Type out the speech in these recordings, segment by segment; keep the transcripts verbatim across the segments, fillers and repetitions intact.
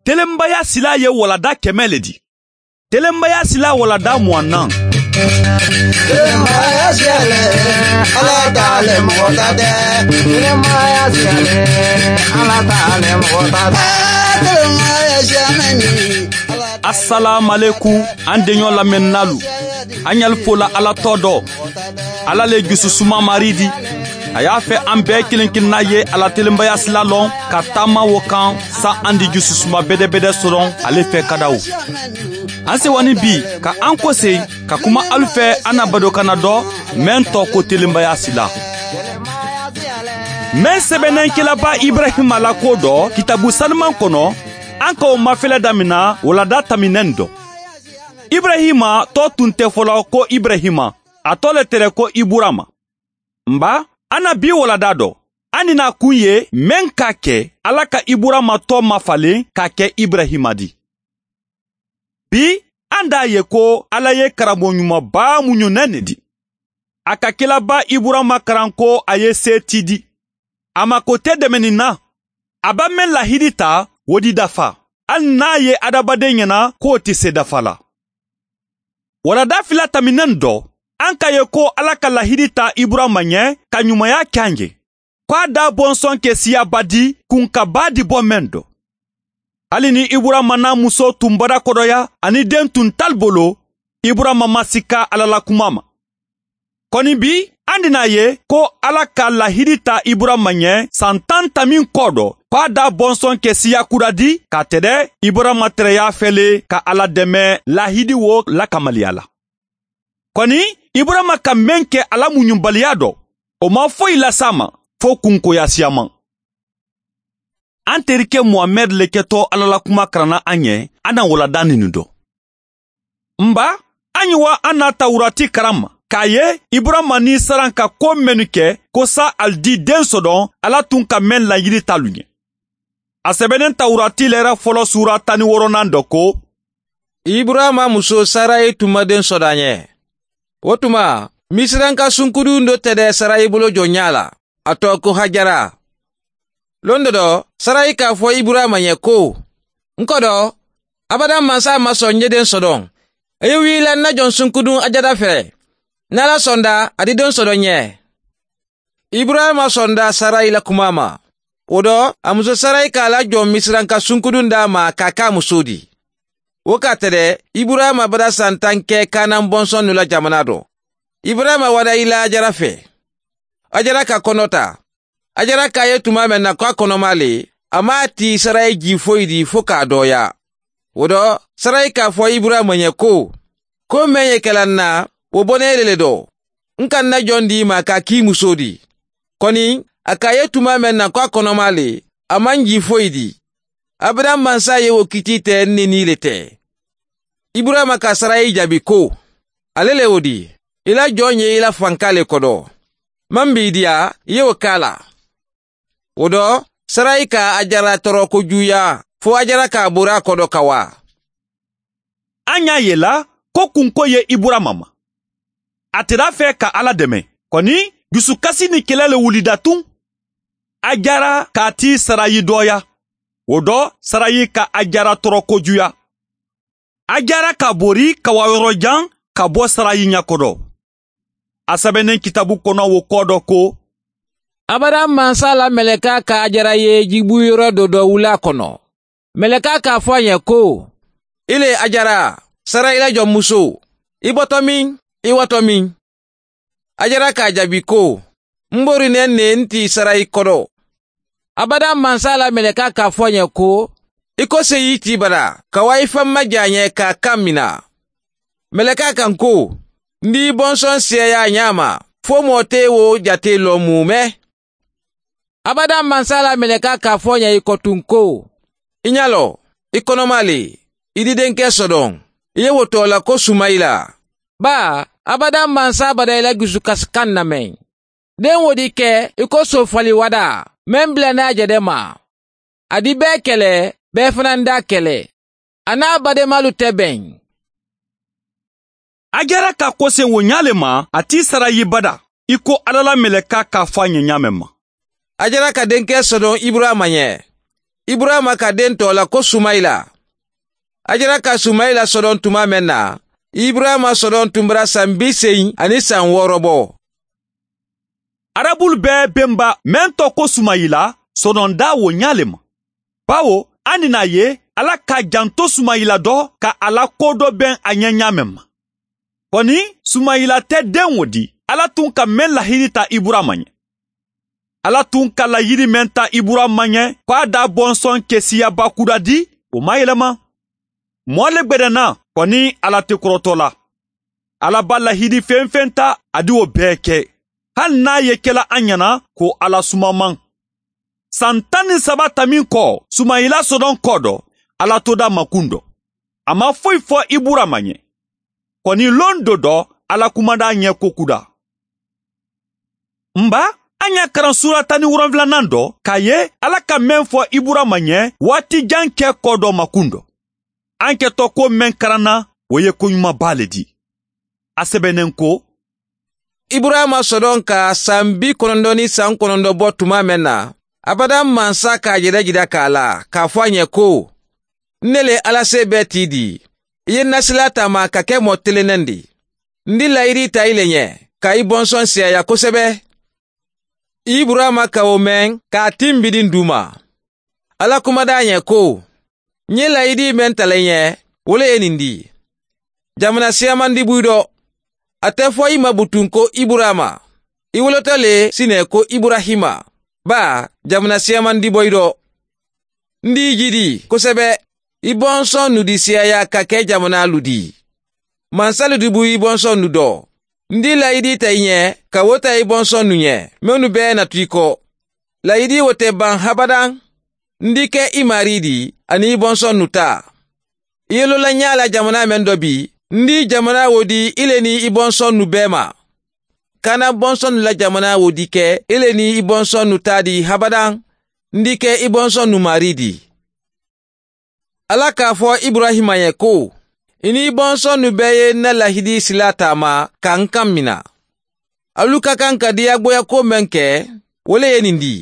Telenbaya silaa ye walada kɛmɛ le di. Telenbaya silaa walada muwannaŋ. Telenbaya silaa le, ala ta le mɔgɔ ta tɛ. Telenbaya silaa le, ala ta le mɔgɔ ta tɛ. Telenbaya silaa le. Asalaamalekum, an deɲɔ lamɛnnaalu. An ɲali fola ala tɔ dɔ. Ala le jususuma mari di. A y'a fɛ an bɛɛ kelen kelenna ye a la telenbaya sila lɔn ka taama wo kan, sa an di jususuma bedebede soron ale fɛ kadaw. An sewani bi ka an kose ka kuma alu fɛ an na badokanna dɔ, men tɔ ko telenbaya sila. Men sɛbɛnnen kelaba ibrahima la ko dɔ kitabu saliman kɔnɔ, an ka o mafɛlɛ damina walada taminɛn dɔ. Ibrahima tɔ tun tɛ fɔlɔ ko ibrahima, a tɔ le tere ko iburama. Nba, an na bi walada dɔ, an ni na kun ye men ka kɛ ala ka iburama tɔ mafalen ka kɛ ibrahima di. Bi, an da ye ko ala ye karamɔgɔ ɲumanba muɲunen ne di. A ka kelaba iburama karan ko a ye se ti di. A ma ko te dɛmɛni na. A ba men lahidi ta, wo di dafa, hali n'a ye adamaden ɲɛna k'o tɛ se dafa la. Walada fila taminɛn dɔ, an ka ye ko ala ka lahidi ta iburama ɲɛ ka ɲumanya kɛ an ye, ko a da bɔnsɔn kɛ siyaba di kun ka ba di bɔ men dɔ. Hali ni iburama n'a muso tun bada kɔdɔya ani den tun tali bolo, iburama ma sika ala la kuma ma. Kɔni bi, an di n'a ye ko ala ka lahidi ta iburama ɲɛ san tan tamin kɔ dɔ, ko a da bɔnsɔn kɛ siya kura di ka tɛdɛ iburama tɛrɛya fɛle ka ala dɛmɛ lahidi wo lakamaliya la. Kɔni, iburama ka men kɛ ala muɲubaliya dɔ, o ma foyi lasa a ma fo kunkoya siyaman. An terikɛ muhamɛd le kɛtɔ ala la kuma karanna an ye, an na walada ninu dɔ. Nba, an ye wa an na tawurati karan ma k'a ye iburama ni saran ka ko mennu kɛ ko sa ali di den sɔdɔn ala tun ka men laɲini talu ɲɛ. A sɛbɛnnen tawurati lɛrɛ fɔlɔ sura tan ni wɔɔrɔnan dɔ ko, iburama muso sarayi tun ma den sɔdɔ a ɲɛ. Wo tuma, misiranka sunkudun do tɛdɛ sarayi bolo jɔ ɲa la, a tɔ ko hajara. Lon dɔ dɔ, sarayi k'a fɔ iburama ɲɛ ko, n kɔdɔ, abada mansa ma sɔn n ye den sɔdɔn. A ye wii la n na jɔn sunkudun a jada fɛ. Ni ala sɔnda, a di den sɔdɔ ɲɛ. Iburahima sɔnda sarayi la kuma ma. Wo dɔ, a muso sarayi k'a la jɔn misiranka sunkudun d'a ma k'a k'a muso di. Wo k'a tɛdɛ, iburahima bada san tan kɛ kanan bɔnsɔn nu la jamana dɔ. Iburahima wada i la ajara fɛ. Ajara ka kɔnɔ ta. Ajara k'a ye tuma mɛn na ko a kɔnɔma le, a m'a ti sarayi ji foyi di fo k'a dɔɔya. Wo dɔ, sarayi k'a fɔ iburahima ɲɛ ko, ko mɛn ye kɛla n na, wo bɔnɛ le le dɔ. N ka n na jɔn di i ma k'a k'i muso di. Kɔni, a k'a ye tuma mɛn na ko a kɔnɔma le, a man ji foyi di. Abraham mansa ye wo kiti tɛ n ni ni le tɛ. Iburahima ka sarayi jaabi ko, ale le wo di, i la jɔn ye i la fanka le kɔdɔ. Man b'i diya, i ye wo k'a la. Wo dɔ, sarayi ka ajara tɔrɔ ko juya fo ajara k'a bori a kɔdɔ ka wa? An y'a ye la ko kunko ye iburama ma. A tera fɛ ka ala dɛmɛ. Kɔni, dusukasi ni kɛlɛ le wulida tun. Ajara k'a ti sarayi dɔya. Wo dɔ, sarayi ka ajara tɔrɔ ko juya. Ajara ka bori ka wa yɔrɔ jan ka bɔ sarayi ɲɛ kɔdɔ. A sɛbɛnnen kitabu kɔnɔ wo kɔ dɔ ko, abraham mansa la mɛlɛka ka ajara ye jibu yɔrɔ dɔ dɔ wula kɔnɔ. Mɛlɛka k'a fɔ a ɲɛ ko, i le ajara, sara i la jɔnmuso, i bɔtɔ min, i watɔ min? Ajara k'a jaabi ko, n bori nɛ ne n ti sara i kɔdɔ. Abada mansa la mɛlɛka k'a fɔ a ɲɛ ko, i ko se y'i ti bara ka wa i fan ma ja ɲɛ k'a kan mina. Mɛlɛka kan ko, n b'i bɔnsɔn siyaya a ɲa ma fo mɔɔ te wo jate lɔ mumɛ. Abada mansa la mɛlɛka k'a fɔ a ɲɛ i kɔtun ko, i ɲa lɔ, i kɔnɔma le, i didenkɛ sɔdɔn, i ye wo tɔɔ la ko sumayila. Baa, abada mansa bada i la jusukasikan namɛn. Den wo di kɛ i ko sofali wada, men bila n'a jɛdɛ ma. A di bɛɛ kɛlɛ, bɛɛ fana da kɛlɛ. A n'a bademalu tɛ bɛn. Ajara ka kosen wo ɲa le ma, a t'i sara yibada i ko ala la mɛlɛka k'a fɔ a ɲɛ ɲa mɛn ma. Ajara ka denkɛ sɔdɔn iburahima ɲɛ. Iburayima ka deŋ too la ko sumayila. Ajara ka sumayila sodoŋ tumaa meŋ na, iburayima sodoŋ tumbura saŋ bii seyi aniŋ saŋ wooro boo. Arabulu bee bemba meŋ to ko sumayila sodoŋ daa wo ñaa le ma. Bawo a ni naa ye, ala ka janto sumayila do ka a la koo do beŋ a ñeŋ ñaa meŋ ma. Koni, sumayila te deŋ wo di ala tuŋ ka meŋ lahidi ta iburayima ñe. Ala tuŋ ka layiri meŋ ta iburayima ñe ko a da bonsoŋ ke siya bakuda di, wo maŋ yelema. Moo le gbedena, koni, ala te korotoo la. Ala ba lahidi feŋ-feŋ ta a di wo bee ke, hani niŋ a ye ke la a ñana ko ala sumamaŋ. Saŋ taŋ niŋ saba tamiŋ ko, sumayila sodoŋ koo do, ala to da makundo. A maŋ foyi fo iburayima ñe. Koni loŋ do do, ala kumadaa ñee ko kuda. Mba, a ñaa karaŋ suura taŋ niŋ woronfilanaŋ do ka a ye, ala ka meŋ fo iburayima ñe waati jaŋ ke koo do makundo. A nke to ko meŋ karaŋ na, wo ye koñuma baa le di. A sebeneŋ ko, iburayima sodoŋ ka saŋ bii konondoŋ niŋ saŋ konondoŋ bo tumaa meŋ na, abadaŋ mansa ka a jedejeda ka a laa ka a fo a ñe ko, n ne le ala see bee ti di. I ye n na silaa taama ka ke moo teleneŋ di. N di layiri ta i le ñe ka i bonsoŋ siyaaya kosebe. Iburayima ka wo meŋ ka a timbidi n duuma. Ala kumadaa ñe ko, n ye layidi meŋ tala i ñe, wo le ye ñiŋ di. Jamana siyamandi buyi do. A te fo i ma butuŋ ko iburayima. I woloto le si ne ko iburayima, baa jamana siyamandi boyi do. N di i jidi kosebe. I bonsoŋ nudi siyaaya ka ke jamanaalu di. Mansalu di buyi i bonsoŋ nu do. N di layidi ta i ñe ka wo ta i bonsoŋ nu ñe mennu bee na tu i ko. Layidi wo te baŋ habadaŋ. N di ke i maarii di aniŋ i bonsoŋ nu taa. I ye loo la ñaa la jamanaa meŋ do bii, n di jamanaa wo di i le niŋ i bonsoŋ nu bee ma. Kaana bonsoŋ nu la jamanaa wo di ke i le niŋ i bonsoŋ nu taa di habadaŋ. N di ke i bonsoŋ nu maarii di. Ala ka a fo iburayima ye ko, i niŋ i bonsoŋ nu bee ye n na lahidi silaa taama ka n kaŋ mina. Alu ka kaŋ ka diyaaboya kuwo meŋ ke, wo le ye ñiŋ di.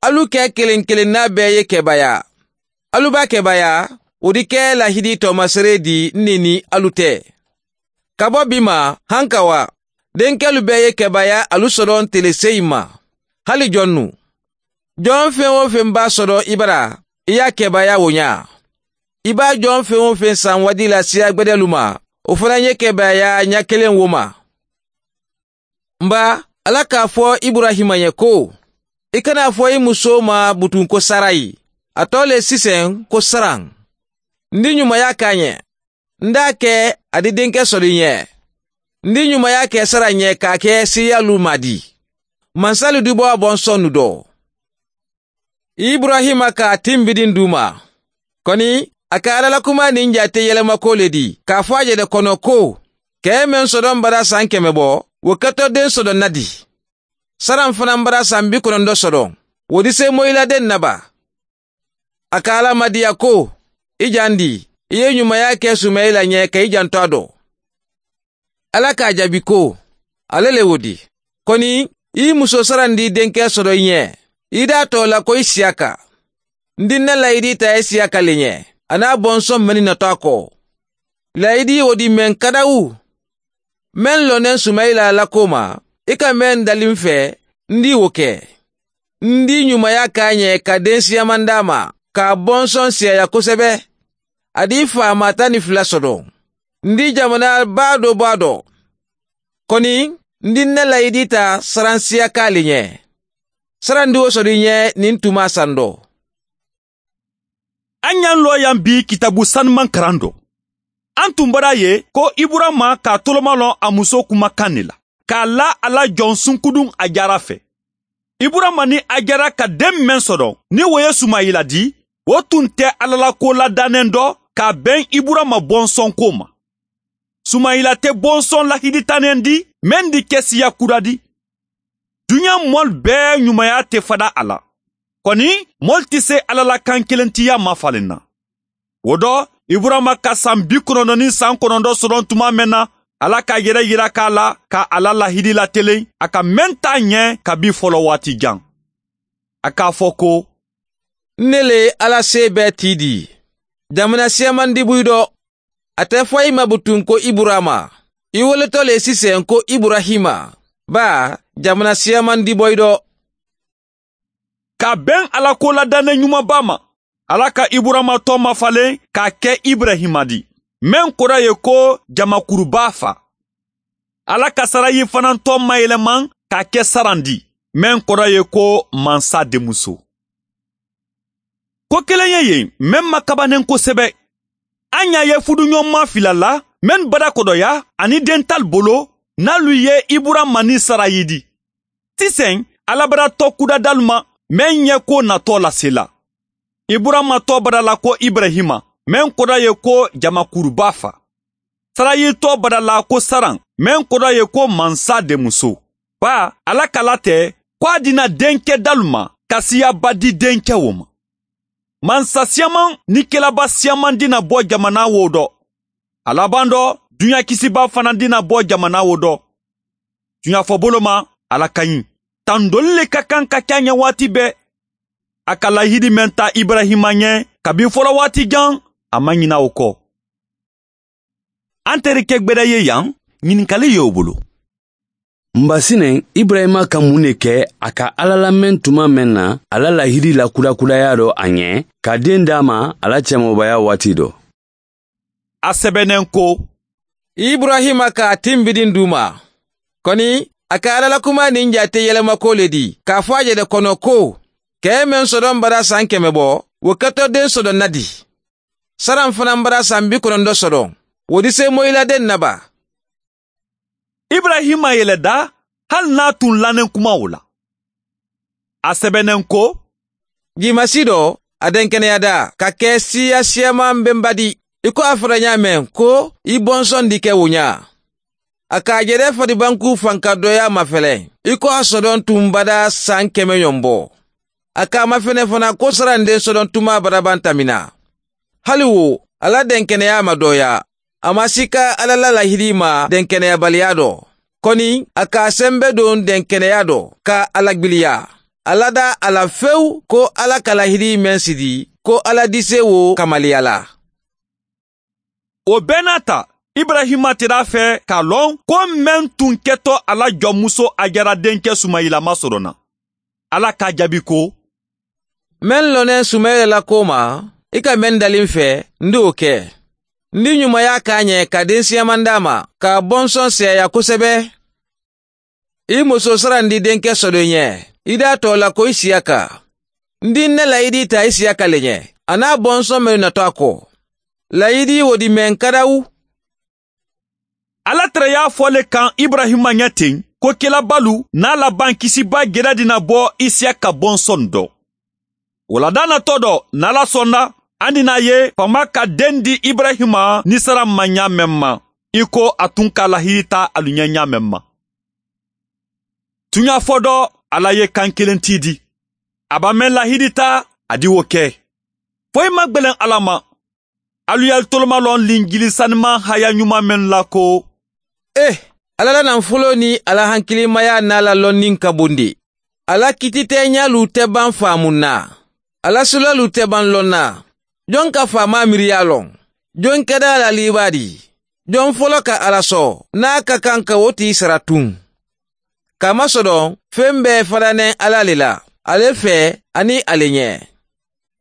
Alu ke keleŋ keleŋ naa bee ye kebaaya. Alu ba kebaaya, wo di ke lahidi toomasere di n ne niŋ alu te. Ka bo bi ma, hankawa, denkelu bee ye kebaaya alu sodoŋ tele seyi ma. Hali jonnu, joŋ feŋ-wo-feŋ be a sodoŋ i bara, i ye a kebaaya wo ñaa. I be a joŋ feŋ-wo-feŋ saŋ wa dii la siya gbedeelu ma, wo fanaa ye kebaaya ña keleŋ wo ma. Mba, ala ka a fo iburayima ye ko, i kana a fo i musoo ma butuŋ ko sarayi, a too le siseŋ ko saraŋ. N di ñumaya ke a ñe. N daa ke a di denke sodo i ñe. N di ñumaya ke saraŋ ñe ka a ke siriyaalu ma di. Mansalu di bo a bonsoŋ nu do. Iburayima ka a timbidi n duuma. Koni, a ka ala la kumaa niŋ jaate yelemako le di ka a fo a je de kono ko, kee meŋ sodoŋ bara saŋ keme bo, wo keto deŋ sodoŋ na di. Saraŋ fanaa bara saŋ bi kononto sodoŋ, wo di seemoyi la deŋ na ba? A ka ala madiya ko, i jaandi, i ye ñumaya ke sumayila ñe ka i janto a do. Ala ka a jaabi ko, ale le wo di. Koni, i musoo sarandi denke soto i ñe, i daa too la ko i siyaka. N di n na layidi taa i siyaka le ñe, a naa bonsoŋ mennu nataa ko. Layidi wo di meŋ kadawu. Meŋ loneŋ sumayila la koo ma, i ka meŋ dali n fee, n di wo ke. N di ñumaya ka a ñe ka densiyamandaa ma, ka a bonsoŋ siyaya kosebe. A di faamaa tani fula soto. N di jamanaa baa do baa do. Koni, n di n na layidi taa saransiyakaa le ñe. Sarandi wo soto i ñe niŋ tumaa sando. A ñaŋ looyaŋ bii kitabu sanumaŋ karando. A n tun bara ye ko iburama ka a tolomaloŋ a musoo kuma kaŋ ne la, ka a la a la joŋ sunkuduŋ a jaara fee. Iburama niŋ a jaara ka deŋ meŋ sodoŋ niŋ wo ye sumayila di, wo tun te alla la koo la daneŋ do ka a beŋ iburama bonsoŋ koo ma. Sumayila te bonsoŋ lahidi taneŋ di meŋ di ke siya kura di. Duniyaa moolu bee ñumaya te fada a la. Koni, moolu ti se alla la kaŋ kelentiya mafaliŋ na. Wo do, iburama ka saŋ bi kononto niŋ saŋ kononto sodoŋ tuma meŋ na, alla ka a yere yira ka a la ka a la lahidi lateleŋ a ka meŋ taa ñee kabiŋ folowaati jaŋ. A ka a fo ko, N ne le ye alla see bee tii dii. Jamana siyaamandi buyi do. Ate foyi ma butuŋ ko iburama. I weleto le siseŋ ko iburahima. Baa jamana siyaamandi boyi do. Ka beŋ a la ko la dande ɲumanba ma, alla ka iburama too mafalen k'a ke iburahima di, meŋ koda ye ko jamakuruba fa. Alla ka sarayi fanaŋ too mayeleman k'a ke saran di, meŋ koda ye ko mansa denmuso. Ko keleŋ ye yen meŋ ma kabanen kosebe. A ɲa ye fuduɲonma fila la mennu bada kodoya aniŋ dentalu bolo, n'alu ye iburama niŋ sarayi di. Siseŋ, alla bada too kudadalu ma meŋ ye ko natoo lase la. Iburama too bada la ko iburahima, meŋ koda ye ko jamakuruba fa. Sarayi too bada la ko saran, meŋ koda ye ko mansa denmuso. Baa alla ka la te ko a dina denkedalu ma ka siyaaba di denkewo ma. Mansa siyaamaŋ niŋ kelaba siyaamaŋ dina bo jamana wo do. A labaŋ do, duɲa kisiba fanaŋ dina bo jamana wo do. Duɲa fobolo ma, alla ka ɲi. Tandoli le ka kaŋ ka ke a ɲa waati bee. A ka lahidi meŋ ta iburahima ɲe kabi folowaati jaŋ, a maŋ ɲina wo ko. An tereke gbeda ye yan, ɲininkali ye wo bolo. N ba sineŋ, iburayima ka muŋ ne ke a ka alla lameŋ tuma meŋ na a la lahidi la kudakudaya do a ɲe, ka deŋ di a ma a la cemoobaya waati do? A sebeneŋ ko, iburayima ka a timbidi n duu ma. Koni, a ka alla la kumaa niŋ jaate yelemako le di k'a fo a je le kono ko, kee meŋ sodoŋ bada saŋ keme bo, wo keto deŋ sodoŋ na di. Saraŋ fanaŋ bada saŋ bi konondo sodoŋ, wo di seemoyi la deŋ na ba? Iburayima ye le daa, hali niŋ a tuŋ laneŋ kumawo la. A sebeneŋ ko, jimasi do, a denkeneya daa ka ke siiya siyaamaŋ be n ba di, i ko a fota ɲaa meŋ ko, i bonsoŋ di ke wo ɲaa. A ka a je de fadibankuu fanka dooyaa mafeleŋ, i ko a sodoŋ tuŋ bada saŋ keme yombo. A ka a mafene fanaa ko sarandeŋ sodoŋ tumaa bada bantamina. Hali wo, a la denkeneyaa ma dooyaa. A ma sika alla la lahidi ma denkeneyabaliyaa do. Koni, a ka a sembe duŋ denkeneyaa do ka a lagbiliyaa. A lada a la fewu ko alla ka lahidi meŋ sidi ko alla dise wo kamaliya la. Wo bee naata, iburayima tera a fee k'a loŋ ko meŋ tuŋ keto a la jɔnmuso a jara denke sumayila ma soroŋ na. Alla ka a jaabi ko, meŋ loneŋ sumayila la koo ma, i ka meŋ dali n fee, n di wo ke. N di ɲumaya ka a ɲe ka densiyaamandi a ma ka a bonsoŋ seeyaa kosebe. I musoo sarandi denke sodoŋ ɲe, i daa too la ko isiyaka. N di n na layidi taa isiyaka le ɲe, a niŋ a bonsoŋ mennu na to a ko. Layidi wo di meŋ kadawu. Alla tara ye a fo le kaŋ iburayima ɲe teŋ ko kelabaalu niŋ a la bankisiba geda dina bo isiyaka bonsoŋ do. Wo la daa na to do niŋ alla sonda, a dina a ye faama ka deŋ di iburayima niŋ sara ma ɲaa meŋ ma, i ko a tuŋ ka a lahidi taa alu ɲee ɲaa meŋ ma. Tuɲaa fo do, alla ye kaŋ keleŋ tiidi. A be a meŋ lahidi taa, a di wo ke. Fo i ma gbeleŋ alla ma. Alu ye alu toloma loŋ linjili sanimaŋ haya ɲuman mennu la ko, e, alla la naŋ foloo niŋ a la hankilimayaa niŋ a la lonniŋ ka bondi. A la kiititeeɲaalu te baŋ faamu n na. A la sulaalu te baŋ loŋ na. Joŋ ka faamaa miiriyaa loŋ? Joŋ keda a la liibaadi? Joŋ folo ka alla soo niŋ a ka kaŋ ka wo tii sara tuŋ? Ka a masodoŋ, feŋ bee fadaneŋ alla le la, ale fee aniŋ ale ɲee.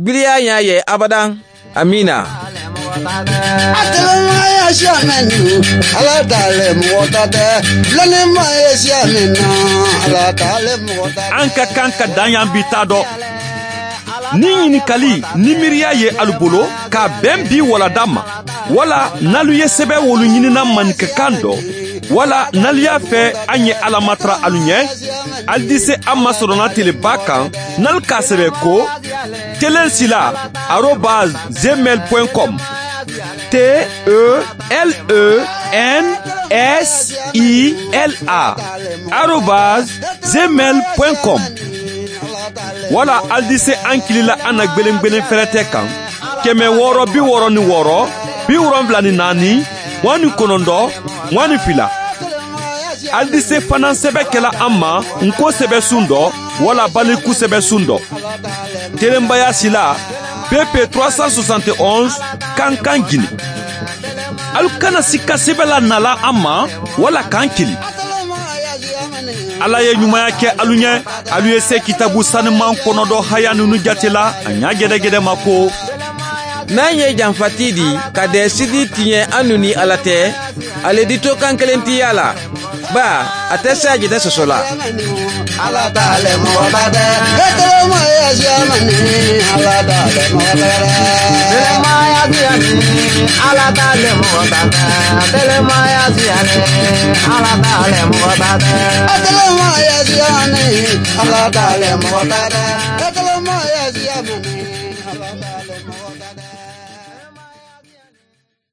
Biliyaa ɲaa ye abadaŋ. Amiina. An ka kaŋ ka daŋ yaŋ bi taa do. Niŋ ɲininkali niŋ miiriyaa ye alu bolo ka a beŋ bii waladaa ma, walla niŋ alu ye sebewoolu ɲini na maninka kaŋ do, walla niŋ alu ye a fee a ɲe alla matara alu ɲe, alu dise a ma soroŋ na telebaa kaŋ, niŋ alu ka a sebe ko, telensilaa arobas gmail point com. T e l e n s i l a arobas gmail point com. Walla alu dise ankili la a na gbeleŋ gbeleŋ ferete kaŋ, keme wooro bi wooro niŋ wooro, bi wolonwula niŋ naani, muwaŋ niŋ konondo, muwaŋ niŋ fila. Alu dise fanaa sebe ke la a ma ǹ ko sebe suŋ do. walla baliku sebe suŋ dɔ. Telenbaya sila pepe trois cent soixante et onze kankan jini. Alu kana sikka sebe la nala a ma walla kaŋ kili. Alla ye ɲumaya ke alu ɲe. Alu ye se kitabu saniman kono do haya nunu jate la a ɲa gedegede ma ko naŋ ye janfati di ka dee sidi tiɲe a nuni alla te. A le di to kaŋ kelentiya la baa a te se a jete soso la. Alla taale moxo bada. Etolomo ya siyamani. Alla taale moxo bada. Telema ya siyani. Alla taale moxo bada. Telema ya siyani. Alla taale moxo bada. Etolomo ya siyani. Alla taale moxo bada. Etolomo ya siyamani.